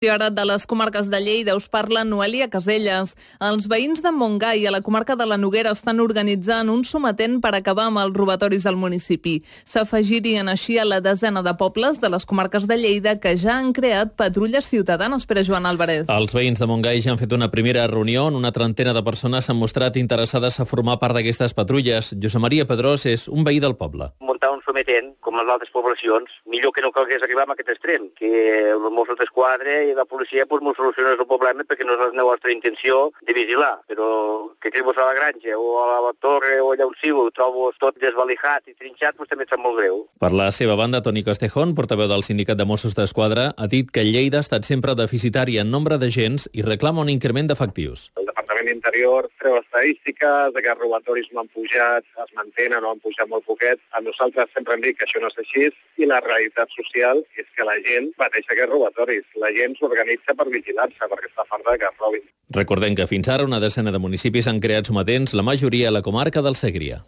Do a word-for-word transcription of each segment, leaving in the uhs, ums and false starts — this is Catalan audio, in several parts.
qüestió ara de les comarques de Lleida us parla Noelia Caselles. Els veïns de Montgai, a la comarca de la Noguera, estan organitzant un sometent per acabar amb els robatoris al municipi. S'afegirien així a la desena de pobles de les comarques de Lleida que ja han creat patrulles ciutadanes. Per a Joan Álvarez. Els veïns de Montgai ja han fet una primera reunió on una trentena de persones s'han mostrat interessades a formar part d'aquestes patrulles. Josep Maria Pedrós és un veí del poble. Muntar un sometent, com les altres poblacions, millor que no calgués arribar a aquest extrem, que els Mossos d'Esquadra i la policia pues, no solucionés el problema perquè no és la nostra intenció de vigilar, però que quedés a la granja o a la torre o allà on sigui, ho trobo tot desvalijat i trinxat, pues, també em sap molt greu. Per la seva banda, Toni Castejón, portaveu del sindicat de Mossos d'Esquadra, ha dit que Lleida ha estat sempre deficitària en nombre d'agents i reclama un increment d'efectius. El Departament d'Interior treu estadístiques de que els robatoris no han pujat, es mantenen o han pujat molt poquet. A nosaltres sempre hem dit que això no és així i la realitat social és que la gent pateix aquests robatoris. La gent s'organitza per vigilar-se perquè està farta que es robin. Recordem que fins ara una desena de municipis han creat sometents, la majoria a la comarca del Segrià.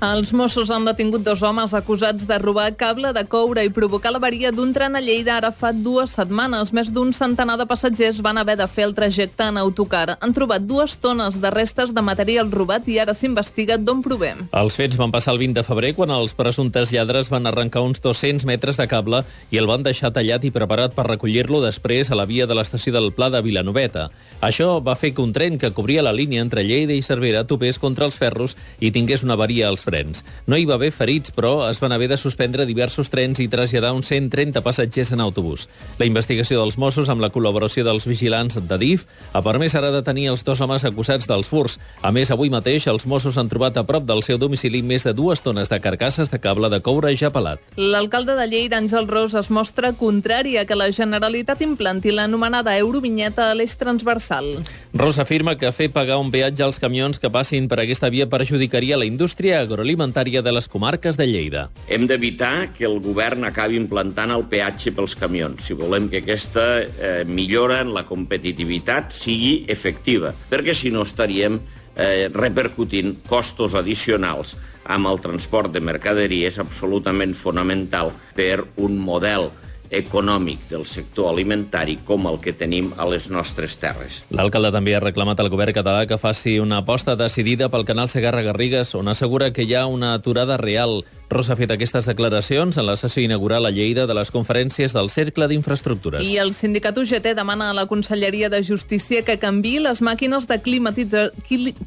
Els Mossos han detingut dos homes acusats de robar cable de coure i provocar l'avaria d'un tren a Lleida ara fa dues setmanes. Més d'un centenar de passatgers van haver de fer el trajecte en autocar. Han trobat dues tones de restes de material robat i ara s'investiga d'on prové. Els fets van passar el vint de febrer quan els presumptes lladres van arrencar uns dos-cents metres de cable i el van deixar tallat i preparat per recollir-lo després a la via de l'estació del Pla de Vilanoveta. Això va fer que un tren que cobria la línia entre Lleida i Cervera topés contra els ferros i tingués una avaria als frens. No hi va haver ferits, però es van haver de suspendre diversos trens i traslladar uns cent trenta passatgers en autobús. La investigació dels Mossos, amb la col·laboració dels vigilants de D I F, ha permès ara detenir els dos homes acusats dels furts. A més, avui mateix els Mossos han trobat a prop del seu domicili més de dues tones de carcasses de cable de coure ja pelat. L'alcalde de Lleida, Àngel Ros, es mostra contrari a que la Generalitat implanti l'anomenada eurovinyeta a l'eix transversal. Ros afirma que fer pagar un peatge als camions que passin per aquesta via perjudicaria la indústria agroalimentària de les comarques de Lleida. Hem d'evitar que el govern acabi implantant el peatge pels camions, si volem que aquesta eh, millora en la competitivitat sigui efectiva, perquè si no estaríem eh, repercutint costos addicionals amb el transport de mercaderies absolutament fonamental per un model econòmic del sector alimentari com el que tenim a les nostres terres. L'alcalde també ha reclamat al govern català que faci una aposta decidida pel canal Segarra-Garrigues, on assegura que hi ha una aturada real. Ros ha fet aquestes declaracions en la sessió inaugural a Lleida de les conferències del Cercle d'Infraestructures. I el sindicat U G T demana a la Conselleria de Justícia que canviï les màquines de climatitza...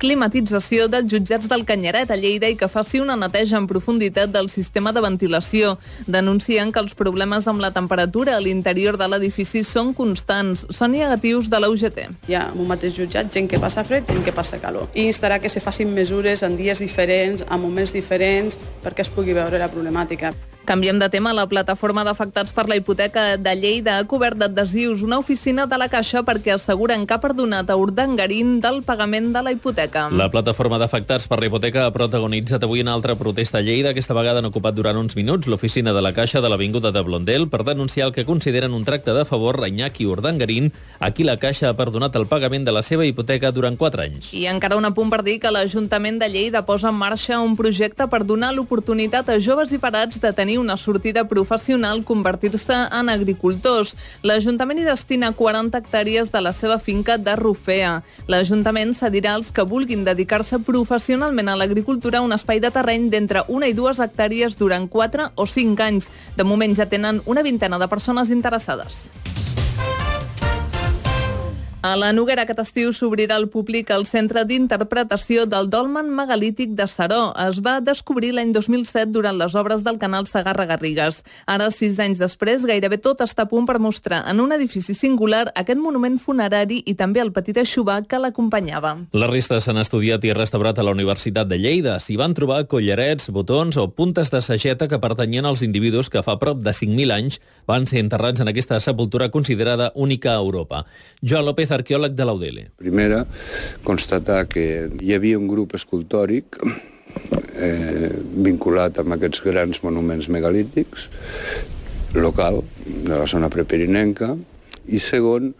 climatització dels jutjats del Canyaret a Lleida i que faci una neteja en profunditat del sistema de ventilació. Denuncien que els problemes amb la temperatura a l'interior de l'edifici són constants. Són negatius de la U G T. Hi ha en un mateix jutjat gent que passa fred, gent que passa calor. I instarà que se facin mesures en dies diferents, a moments diferents, perquè es pugui veure la problemàtica. Canviem de tema. La plataforma d'afectats per la hipoteca de Lleida ha cobert d'adhesius una oficina de la Caixa perquè asseguren que ha perdonat a Urdangarín del pagament de la hipoteca. La plataforma d'afectats per la hipoteca ha protagonitzat avui una altra protesta a Lleida. Aquesta vegada han ocupat durant uns minuts l'oficina de la Caixa de l'Avinguda de Blondel per denunciar el que consideren un tracte de favor a Iñaki Urdangarín, a qui la Caixa ha perdonat el pagament de la seva hipoteca durant quatre anys. I encara un apunt per dir que l'Ajuntament de Lleida posa en marxa un projecte per donar l'oportunitat a joves i parats de tenir una sortida professional, convertir-se en agricultors. L'Ajuntament hi destina quaranta hectàrees de la seva finca de Rufea. L'Ajuntament cedirà als que vulguin dedicar-se professionalment a l'agricultura un espai de terreny d'entre una i dues hectàrees durant quatre o cinc anys. De moment ja tenen una vintena de persones interessades. A la Noguera aquest estiu s'obrirà al públic el Centre d'Interpretació del Dolmen Megalític de Seró. Es va descobrir l'any dos mil set durant les obres del canal Segarra-Garrigues. Ara, sis anys després, gairebé tot està a punt per mostrar en un edifici singular aquest monument funerari i també el petit aixovar que l'acompanyava. Les restes s'han estudiat i restaurat a la Universitat de Lleida. S'hi van trobar collarets, botons o puntes de sageta que pertanyien als individus que fa prop de cinc mil anys van ser enterrats en aquesta sepultura considerada única a Europa. Joan López, arqueòleg de l'A U D L. Primera, constatar que hi havia un grup escultòric eh, vinculat amb aquests grans monuments megalítics, local, de la zona prepirinenca, i segon,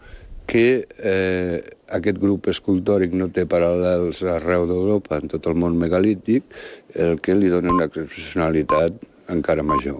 que eh, aquest grup escultòric no té paral·lels arreu d'Europa, en tot el món megalític, el que li dona una excepcionalitat encara major.